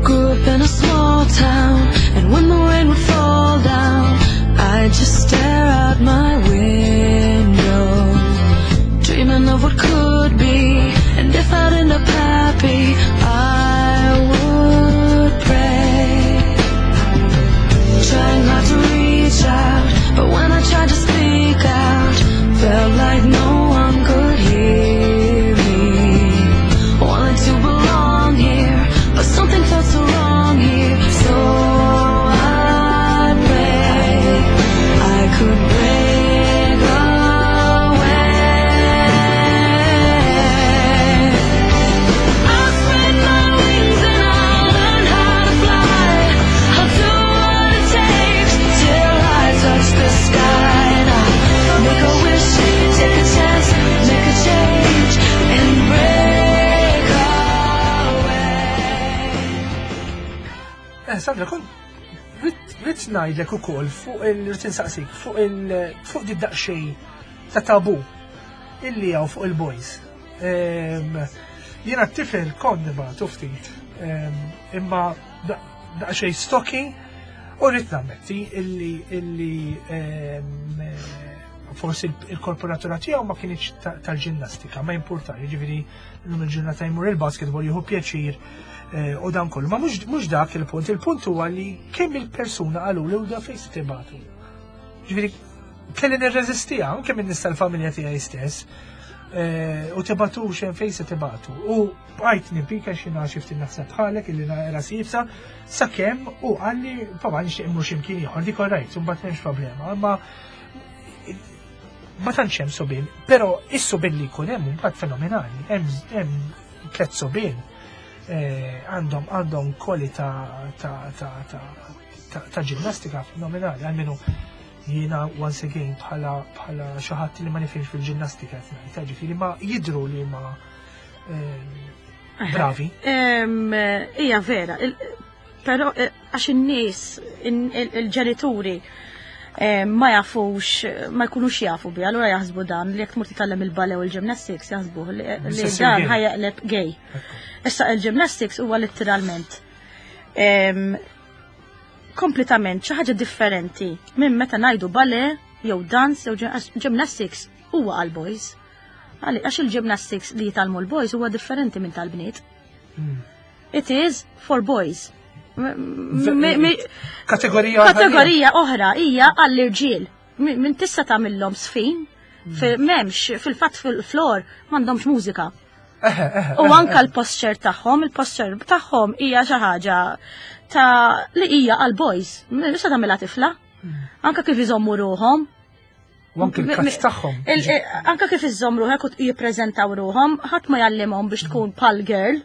Grew up in a small town, and when the rain would fall down, I'd just stare out my window, dreaming of what could be, and if I'd end up happy, I would pray. Trying hard to reach out, but when I tried to speak out, felt like no one could hear me. Wanted to belong here, but something felt so wrong here. So I pray I could break away. I'll spread my wings and I'll learn how to fly. I'll do what it takes till I touch the sky. And I'll make a wish, take a chance, make a change, and break away. Sandra, kont ridt ngħidlek ukoll fuq il-ridt insaqsik fuq il fuq di daqsxejn ta' tabu illi hawn fuq il-boys. Jiena t-tifel kont nibgħatu ftit, imma daqsxejn stocky u rrid nammetti illi Forsi il-korporatura tiegħu ma kienx tal-ġinnastika, ma jimpurtar, jiġifieri llum il-ġurnata jmur il-basketball jieħu pjaċir eh, u dan kollu. Ma mhux dak il-punt, il-punt huwa li kemm il-persuna qalu li da fejn se tibatu. Ġifieri kelli nirreżistiha anke minn nista l-familja tiegħi stess. Eh, u tibatu xejn fejn se tibatu. U bqajt nipika xi xi ftit naħseb bħalek illi nara sibsa sakemm u qalli papa nixtieq immur x'imkien ieħor dik orajt, imbagħad m'hemmx problema. Imma ma tantx hemm subien, però is-subien li jkun hemm mbagħad fenomenali, hemm tliet subien eh, għandhom għandhom kwalità ta' ta' ta' ta' ġinnastika fenomenali, għalmenu jiena once again bħala bħala xi ħadd li ma nifhimx fil-ġinnastika qed ngħid, ġifieri ma jidhru li ma eh, bravi. Hija vera, però eh, għax in-nies, il-ġenituri eh, ma jafux, ma jkunux jafu bi, allura jaħsbu dan li jekk tmur titgħallem il-ballet u l-gymnastics jaħsbu li dan ħajaqleb gay. Issa il-gymnastics huwa letteralment kompletament xi ħaġa differenti minn meta ngħidu ballet jew dance jew gymnastics huwa għal boys. Għax il-gymnastics li jitgħallmu l-boys huwa differenti minn tal-bniet. It is for boys. Kategorija Kategorija oħra hija għall-irġiel. Minn tista' tagħmilhom sfin, m'hemmx fil-fatt fil-flor m'għandhomx mużika. U anka l-posture tagħhom, il-posture tagħhom hija xi ħaġa ta' li hija għal boys. Issa tagħmilha tifla. Anka kif iżommu ruhom. U anke l-kazz tagħhom. Anka kif iżomm ruħek u jippreżentaw ruhom, ħadd ma jallimhom biex tkun bħal girl,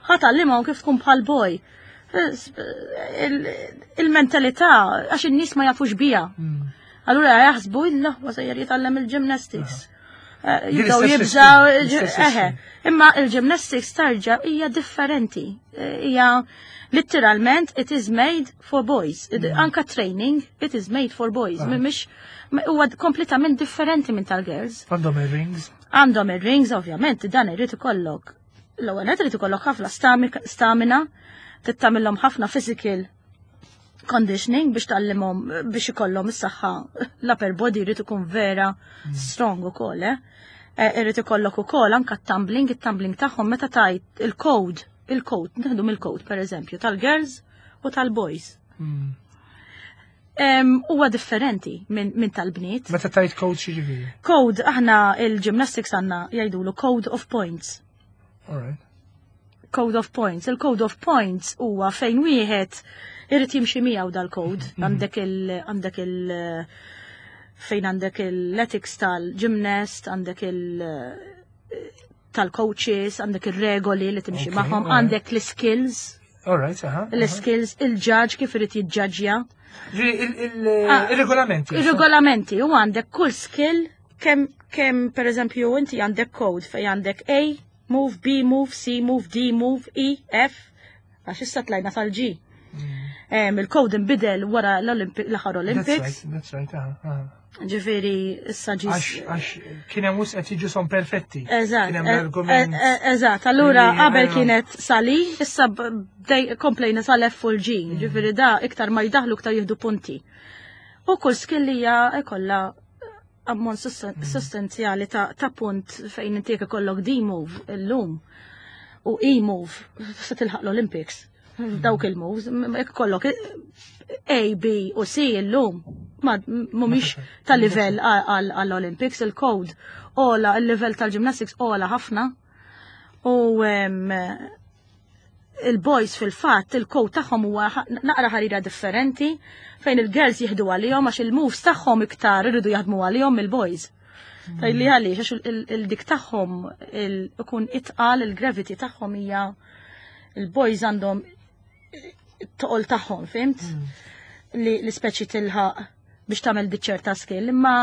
ħadd għallimhom kif tkun bħal boy. Il-mentalità għax in-nies ma jafux biha. Allura jaħsbu illa huwa sejjer jitgħallem il-gymnastics. Eh, jibdew jibżaw, eħe. Imma il-gymnastics tarġa hija differenti. Eh, hija literalment it is made for boys. Anka training it is made for boys. Ah. Mhix huwa kompletament differenti minn tal-girls. Għandhom ir-rings. Għandhom ir-rings, ovvjament, dan irid ikollok. L-ewwel qed irid ikollok ħafna stamina, tittamilhom ħafna physical conditioning biex tallimhom biex ikollhom is-saħħa l-upper body jrid ikun vera hmm. strong ukoll, eh? eh irid ikollok ukoll anka t-tumbling, it-tumbling tagħhom meta tajt il-code, il-code, nieħdu mill-code pereżempju tal-girls u tal-boys. Hmm. Huwa differenti minn min tal-bniet. Meta tajt code xi ġifieri? Code aħna il-gymnastics għandna jgħidulu code of points. All right. Code of points. Il-code of points huwa fejn wieħed irid jimxi miegħu dal-code. Mhm. Għandek il għandek il fejn għandek il-ethics tal-gymnast, għandek il tal-coaches, għandek ir-regoli li timxi magħhom, għandek l-skills. All right, aha. L-skills, il-judge kif irid jiġġaġġja. Ah, il-regolamenti. Il-regolamenti, u għandek kull skill kemm kemm pereżempju inti għandek code fejn għandek A, move, B, move, C, move, D, move, E, F, għax issa tlajna tal-G. Mm. Il-code inbidel wara l-aħħar Olympics. That's right, aha. Ġifieri issa ġi. Għax kien hemm qed jiġu son perfetti. Eżatt. Kien hemm e- l-argument. E- e- eżatt, allura qabel kienet sali, issa komplejna sal-F u l-G. Mm. Ġifieri da iktar ma jdaħlu iktar jieħdu punti. U kull skillija ikollha ammont sostanzjali ta' punt fejn inti jekk ikollok D-move illum u E-move se tilħaq l-Olympics. Dawk il-moves, jekk ikollok A, B u C illum ma mhumiex ta' livell għall-Olympics, il-code ola, il-livell tal-gymnastics ola ħafna. U il-boys fil-fatt il-code tagħhom huwa naqra ħarira differenti fejn il-girls jieħdu għalihom għax il-moves tagħhom iktar iridu jaħdmu għalihom il-boys. Tajli għaliex għax il-dik tagħhom ikun itqal il-gravity tagħhom hija il-boys għandhom toqol tagħhom, fimt? Mm. Li l-ispeċi tilħaq biex tagħmel ċerta skill, imma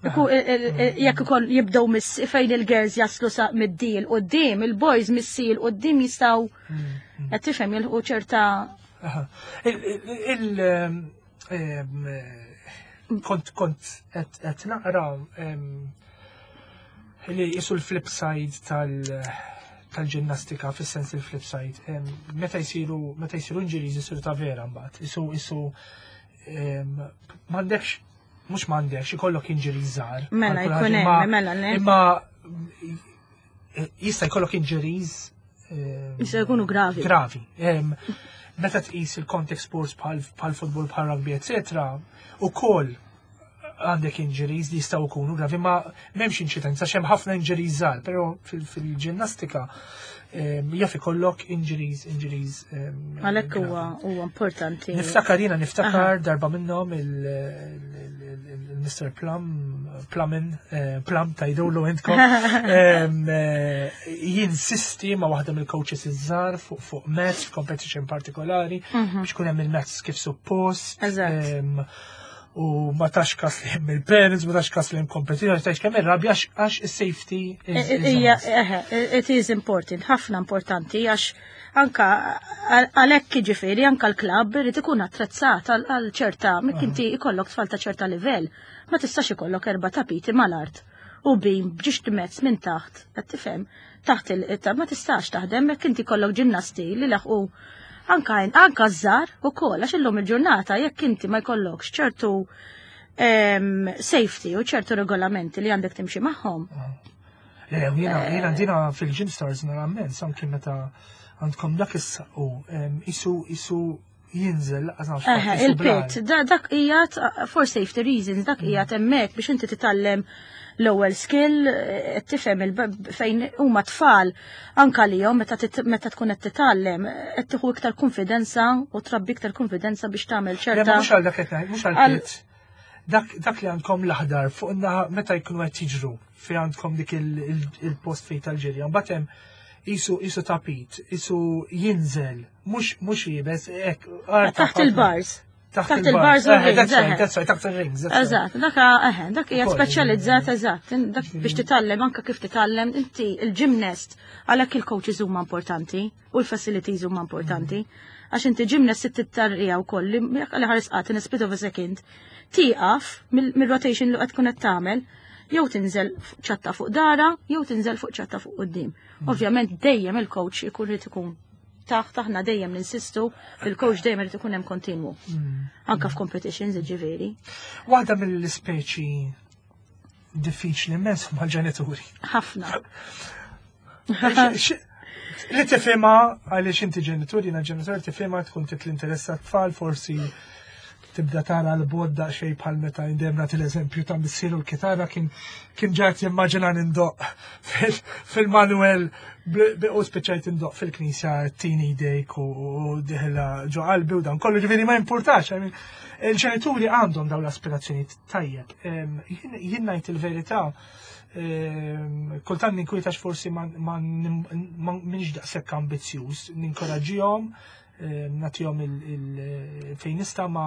Jekk ukoll jibdew miss fejn il-girls jaslu sa mid-dil qudiem, il-boys mis-sil qudiem jistgħu mm, mm. qed tifhem jilħqu ċerta. Il kont kont qed naqra li jisu l-flip side tal tal-ġinnastika fis-sens il-flip side. Meta jsiru meta jsiru injuries jsiru ta' vera mbagħad. Isu isu m'għandekx. Mhux m'għandekx, ikollok injuries żgħar. Mela, jkun hemm, mela, le. Imma jista' jkollok injuries Jista' jkunu gravi. Gravi. Meta tqis il-contact sports bħal futbol bħal rugby, eccetera, ukoll għandek injuries li jistgħu jkunu gravi, ma m'hemmx inċidenza x'hemm ħafna injuries żgħar, però fil-ġinnastika jaf ikollok injuries, injuries. Għalhekk huwa huwa importanti. Niftakar jiena niftakar darba minnhom il-Mr. Plum, Plumin, Plum tajdulu intkom, jinsisti ma' waħda mill-coaches iż-żgħar fuq match, competition partikolari, biex kun hemm il-match kif suppost. U ma tax kas li hemm il-parents, ma tax kas li hemm competition, ma tax kemm ir-rabja għax is-safety Hija, it is important, ħafna importanti, għax anka għalhekk jiġifieri anka l-klabb irid ikun attrezzat għal ċerta, mekk inti ikollok tfal ta' ċerta livell, ma tistax ikollok erba' tapiti mal-art u bim b'ġiex mezz minn taħt, qed tifhem, taħt il ma tistax taħdem jekk inti kollok ġinnasti li laħqu anka żgħar ukoll, għax illum il-ġurnata jekk inti ma jkollokx ċertu safety u ċertu regolamenti li għandek timxi magħhom. Le, jiena dina fil-Gym Stars nara immens, anki meta għandkom dak is-saqqu, isu jinżel, laqas nafx fatt, isu Il-pit, blar. dak qiegħed for safety reasons, dak qiegħed hemmhekk biex inti titgħallem l-ewwel skill, tifhem fejn huma tfal anka lihom meta tkun qed titgħallem, qed tieħu iktar konfidenza u trabbi iktar konfidenza biex tagħmel Le, ma ċerta mhux għal dak qed ngħid, mhux għal Għal pit. Dak li għandkom l-aħdar fuq in-naħa meta jkunu qed jiġru fejn għandkom dik il-post fejn tal-ġirja. Mbagħad hemm isu tapit, isu jinżel, mhux jibes, hekk, art Taħt ħafna. il-bars. Taħt Taħt il-bars u rings, That's right, eħe. that's right, taħt il-rings, that's right. Eżatt, dak hija Ukoll, speċjalizzat, eżatt, dak biex titgħallem anka kif titgħallem inti il-gymnast, għalhekk il-coaches huma importanti u l-facilities huma importanti. Għax inti gymnast tittarrija wkoll li jekk għal ħares qatt in a split of a second, tieqaf mill-rotation li qed tkun qed tagħmel, jew tinżel ċatta fuq dara, jew tinżel fuq ċatta fuq quddiem. Ovvjament dejjem il-coach ikun irid ikun taħt, aħna dejjem ninsistu, il-coach dejjem irid ikun hemm kontinwu. Anka f'competitions, ġifieri. Waħda mill-ispeċi diffiċli immens huma l-ġenituri. Ħafna. Li tifhimha għaliex inti ġenituri, jiena ġenitur tifhimha tkun trid l-interess tat-tfal, forsi tibda tara l-bod daqsxejn bħal meta indem nagħti l-eżempju ta' missieru l-kitarra kien ġat jimmaġina nindoq fil-Manuel u spiċċajt indoq fil-knisja tini dejk u diħla ġo qalbi u dan kollu, ġifieri ma importax. Il-ġenituri għandhom dawn l-aspirazzjoni tajjeb. Jien ngħid il-verità, kultant ninkwitax forsi ma minix daqshekk ambizzjuż, ninkoraġġihom, nagħtihom fejn nista' ma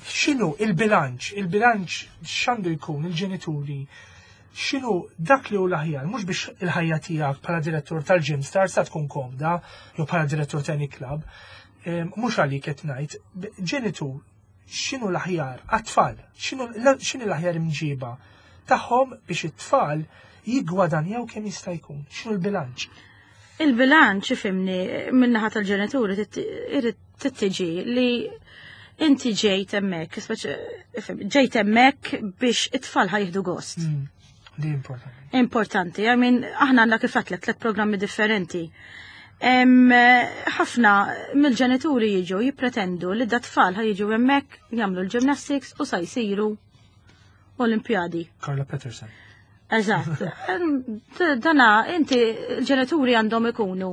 x'inhu il-bilanċ, il-bilanċ x'għandu jkun il-ġenituri, x'inhu dak li hu l-aħjar, mhux biex il-ħajja tiegħek bħala direttur tal-Gym Stars sa tkun komda, jew bħala direttur ta' any club, mhux għalik qed ngħid, ġenitur, x'inhu l-aħjar għat-tfal, x'inhu l-aħjar imġiba tagħhom biex it-tfal jiggwadanjaw kemm jista' jkun, x'inhu l-bilanċ? Il-bilanċ, ifhimni, min-naħa tal-ġenituri irid tittiġi li inti ġejt hemmhekk, speċi, ifhem, ġejt hemmhekk biex it-tfal ħa jieħdu gost. Di importanti. Importanti, aħna għandna kif għedtlek tliet programmi differenti. Ħafna mill-ġenituri jiġu jippretendu li da tfal ħa jiġu hemmhekk jagħmlu l-gymnastics u sa jsiru Olimpjadi. Carla Peterson. Eżatt. Dana, inti l-ġenituri għandhom ikunu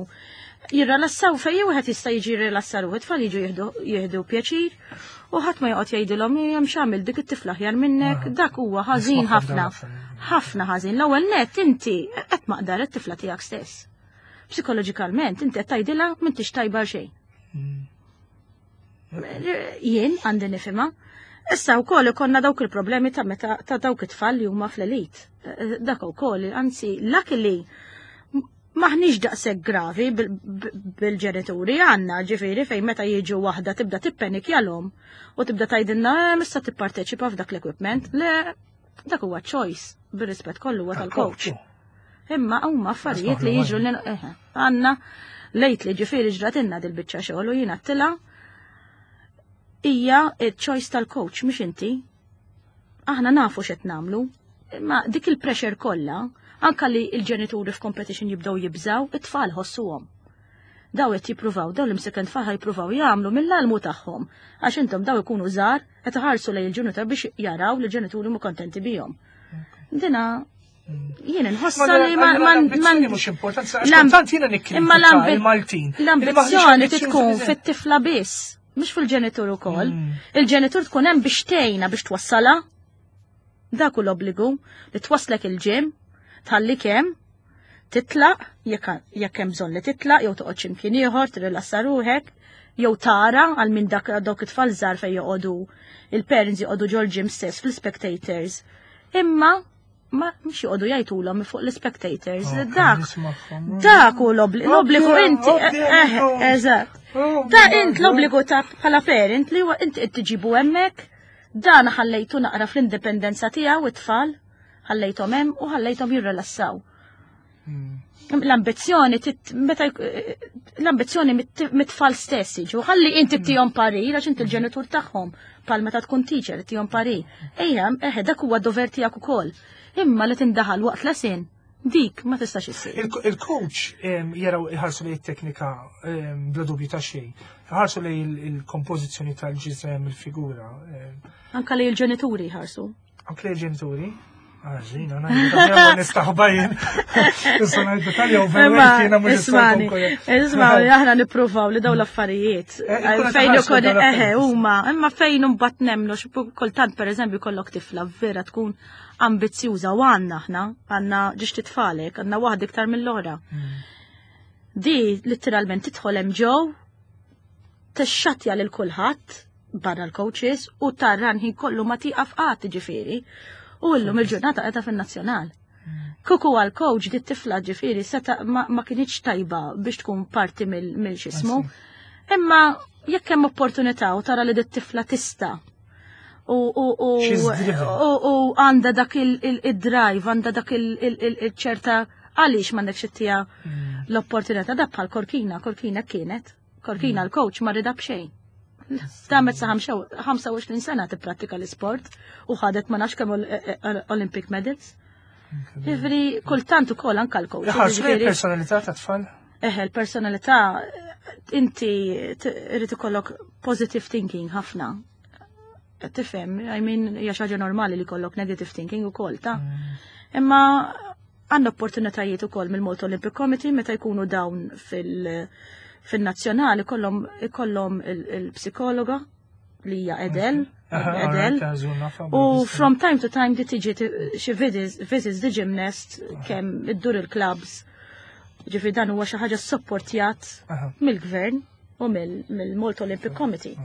jirrilassaw fej wieħed jista' jiġi jirrilassa ruħu, tfal jiġu jieħdu pjaċir u ħadd ma joqgħod jgħidilhom hemm x'għamil dik it-tifla aħjar minnek, dak huwa ħażin Nisma' ħafna. ħafna. Ħafna ħażin. L-ewwel nett inti qed maqdar it-tifla tiegħek stess. Psikoloġikalment inti qed tgħidilha m'intix tajba xejn. Jien għandi nifhimha. Issa wkoll ikollna dawk il-problemi ta' meta ta' dawk it-tfal li huma fl-elit. Dak ukoll, anzi, luckily maħniex daqshekk gravi bil-ġenituri għandna, ġifieri fejn meta jiġu waħda tibda tippenikjalhom u tibda tgħidilna mista tipparteċipa f'dak l-equipment. Le, dak huwa choice, bir-rispett kollu huwa tal-coach. Imma huma affarijiet li jiġu li għandna lejt li ġifieri ġratilna dil-biċċa xogħol u jiena għedtilha hija choice tal-coach mhux inti. Aħna nafu x'qed nagħmlu, imma dik il-pressure kollha, anka li l-ġenituri f'competition jibdew jibżaw, it-tfal ħossuhom. Daw qed jippruvaw, daw l-imseken tfal jippruvaw jagħmlu mill-almu tagħhom, għax intom daw ikunu żgħar qed iħarsu lejn il-ġenitur biex jaraw li l-ġenituri mu kontenti bihom. Dina jien inħossa li ma mhux importanti, kultant jiena nikkritika il-Maltin. L-ambizzjoni tkun fit-tifla biss, mhux fil-ġenitur ukoll. Il-ġenitur tkun hemm biex tgħinha biex twassalha. Dak hu l-obbligu li twasslek il-gym, tħallik hemm, titlaq, jekk hemm bżonn li titlaq, jew toqgħod x'imkien ieħor, tirrilassa ruħek, jew tara għal minn dak dawk it-tfal żgħar fejn joqogħdu il-parents joqogħdu ġol-gym stess fl-spectators. Imma ma mhux joqogħdu jgħidulhom fuq l-spectators. Oh, Dak hu l-obbligu inti. Eżatt. Da int l-obbligu ta' bħala parent li huwa inti qed tiġibu hemmhekk, dan ħallejtu naqra fl-indipendenza tiegħu it-tfal, ħallejthom hemm u ħallejthom jirrilassaw. L-ambizzjoni meta l-ambizzjoni mit-tfal stess jiġu, ħalli inti tihom parir għax inti l-ġenitur tagħhom bħal meta tkun teacher tihom parir. Ejja, eħe dak huwa dover tiegħek ukoll. Imma li tindaħal waqt lesin, dik ma tistax issir. Il-coach jaraw iħarsu lejn it-teknika bla dubju ta' xejn. Iħarsu lejn il-kompożizzjoni tal-ġisem, il-figura. Anka li l-ġenituri jħarsu. Anke li l-ġenituri? Għażin, għana nistaħba jien. Issa ngħidu tal overweight jiena mhux Ismani, ismani, aħna nippruvaw li daw l-affarijiet. Fejn ukoll eħe huma, imma fejn imbagħad nemmnu kultant pereżempju kollok tifla vera tkun ambizzjuża u għandna aħna, għandna ġiex titfalek, għandna waħda iktar mill-oħra. Di letteralment tidħol hemm ġew, tixxatja lil kulħadd barra l-coaches u tarran ħin kollu ma tieqaf qatt ġifieri. U llum il-ġurnata qiegħda fin-nazzjonal. Kuku għal coach di tifla ġifieri seta ma kienx tajba biex tkun parti mill-xismu. Imma jekk hemm opportunità u tara li dit tifla tista' u għandha dak il-drive, għandha dak il-ċerta għaliex m'għandekx ittija l-opportunità da bħal Korkina, Korkina kienet, Korkina l-coach ma rida b'xejn. Damet sa 25 sena tipprattika l-isport u ħadet ma nafx kemm Olympic medals. Ġifieri kultant ukoll anke l-coach. Ħarsu l-personalità ta' tfal? Eħe, l-personalità inti irid ikollok positive thinking ħafna. Tifhem, I mean, hija xi ħaġa normali li jkollok negative thinking ukoll ta' Imma għandna opportunitajiet ukoll mill-Malta Olympic Committee meta jkunu dawn fil-nazzjonali ikollhom il-psikologa li hija Edel. Edel. U from time to time di tiġi xi visits di gymnast kemm iddur il-clubs. Ġifieri dan huwa xi ħaġa sopportjat mill-gvern u mill-Malta Olympic Committee.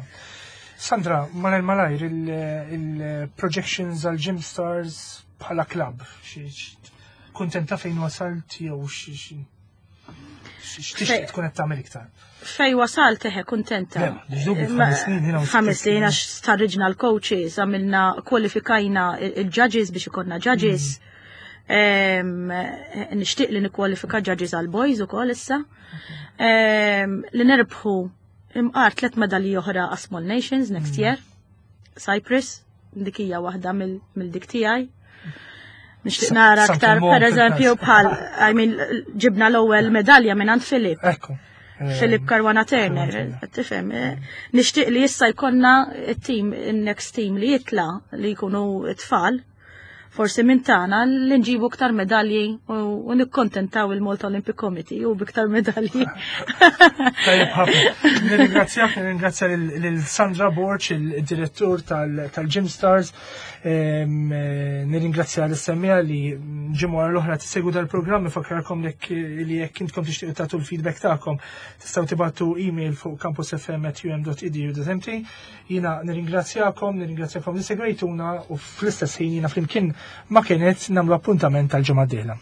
Sandra, malajr malajr il-projections għal Gym Stars bħala club, kuntenta fejn wasalt jew x'tixtieq tkun qed tagħmel iktar? Fej wasalt eħe kuntenta. 5 snin għax starriġna l-coaches, għamilna kwalifikajna il-judges biex ikollna judges. Nixtieq li nikkwalifika judges għal boys ukoll issa. Li nerbħu imqar 3 medalji oħra għas Small Nations next year. Cyprus, dik hija waħda mill-dik tiegħi. Nixtieq nara aktar, per eżempju, bħal, I mean, ġibna l-ewwel medalja minn għand Filip. Ekku. Filip Caruana Turner, tifhem. Nixtieq li issa jkollna it-team, il-next team li jitla li jkunu t-tfal, forsi minn tagħna li nġibu iktar medalji u nikkontentaw il-Malta Olympic Committee u biktar medalji. Tajjeb ħafna. Nirringrazzjak, nirringrazzja lil Sandra Borg, il-direttur tal-Gym Stars. Nirringrazzja l-semmija li ġimgħa l-oħra tissegwu dal-programm, nfakkarkom li jekk intkom tixtiequ tagħtu l-feedback tagħkom tistgħu tibgħatu email fuq campusfm@um.edu.mt. Jiena nirringrazzjakom, nirringrazzjakom li segwejtuna u fl-istess ħin jiena flimkien ma' Kenneth nagħmlu appuntament tal-ġimgħa d-dieħla.